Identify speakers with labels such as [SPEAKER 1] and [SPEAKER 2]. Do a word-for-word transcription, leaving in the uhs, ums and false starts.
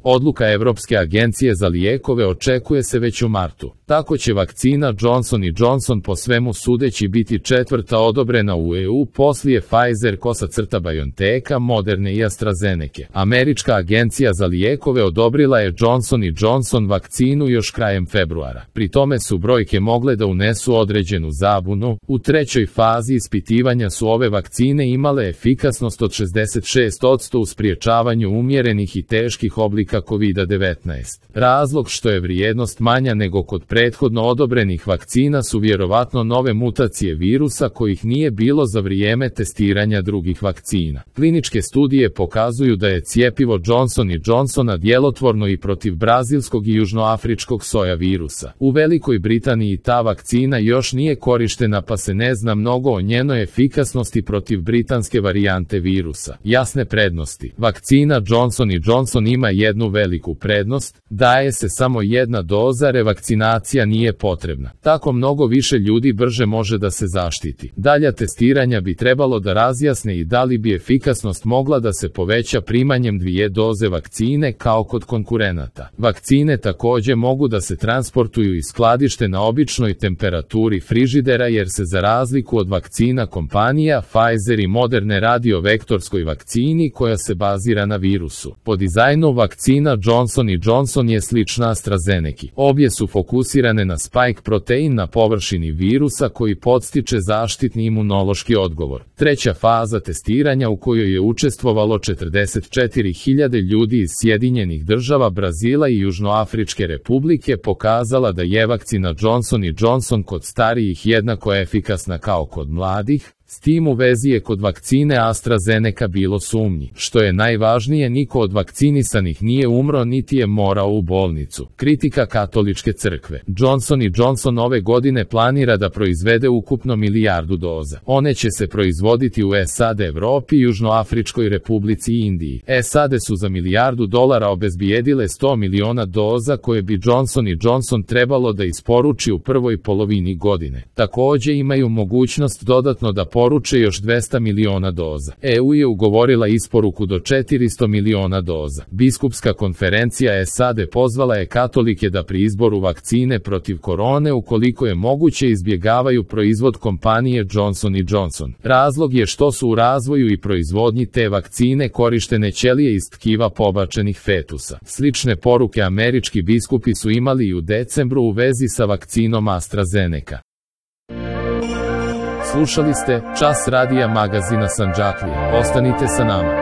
[SPEAKER 1] Odluka Evropske agencije za lijekove očekuje se već u martu. Tako će vakcina Johnson and Johnson po svemu sudeći biti četvrta odobrena u E U poslije Pfizer, BioNTecha, Moderne i AstraZeneke. Američka agencija za lijekove odobrila je Johnson and Johnson vakcinu još krajem februara. Pri tome su brojke mogle da unesu određenu zabunu. U trećoj fazi ispitivanja su ove vakcine imale efikasnost od šezdeset šest posto u spriječavanju umjerenih i teških oblika kovid devetnaest. Razlog što je vrijednost manja nego kod prethodno odobrenih vakcina su vjerovatno nove mutacije virusa kojih nije bilo za vrijeme testiranja drugih vakcina. Kliničke studije pokazuju da je cjepivo Johnson and Johnsona djelotvorno i protiv brazilskog i južnoafričkog soja virusa. U Velikoj Britaniji ta vakcina još nije korištena pa se ne zna mnogo o njenoj efikasnosti protiv britanske varijante virusa. Jasne prednosti. Vakcina Johnson and Johnson ima jednu veliku prednost, daje se samo jedna doza, revakcinacija nije potrebna. Tako mnogo više ljudi brže može da se zaštiti. Dalja testiranja bi trebalo da razjasne i da li bi efikasnost mogla da se poveća primanjem dvije doze vakcine kao kod konkurenata. Vakcine također mogu da se transportuju i skladište na običnoj temperaturi frižidera jer se za razliku od vakcina kompanija Pfizer i Moderne radi o vektorskoj vakcini koja se bazira na virusu. Po dizajnu vakcina Johnson and Johnson je slična AstraZeneki. Obje su fokusirane na spike protein na površini virusa koji podstiče zaštitni imunološki odgovor. Treća faza testiranja u kojoj je učestvovalo četrdeset četiri hiljade ljudi iz Sjedinjenih država, Brazila i Južnoafričke republike pokazala da je vakcina Johnson and Johnson kod starijih jednako efikasna kao kod mladih. S tim u vezi je kod vakcine AstraZeneca bilo sumnji. Što je najvažnije, niko od vakcinisanih nije umro niti je morao u bolnicu. Kritika Katoličke crkve. Johnson and Johnson ove godine planira da proizvede ukupno milijardu doza. One će se proizvoditi u S A D, Evropi, Južnoafričkoj republici i Indiji. S A D su za milijardu dolara obezbijedile sto miliona doza koje bi Johnson and Johnson trebalo da isporuči u prvoj polovini godine. Također imaju mogućnost dodatno da poruče još dvesta miliona doza. E U je ugovorila isporuku do četiristo miliona doza. Biskupska konferencija S A D pozvala je katolike da pri izboru vakcine protiv korone ukoliko je moguće izbjegavaju proizvod kompanije Johnson and Johnson. Razlog je što su u razvoju i proizvodnji te vakcine korištene ćelije iz tkiva pobačenih fetusa. Slične poruke američki biskupi su imali i u decembru u vezi sa vakcinom AstraZeneca. Slušali ste Čas radija magazina Sandžaklija. Ostanite sa nama.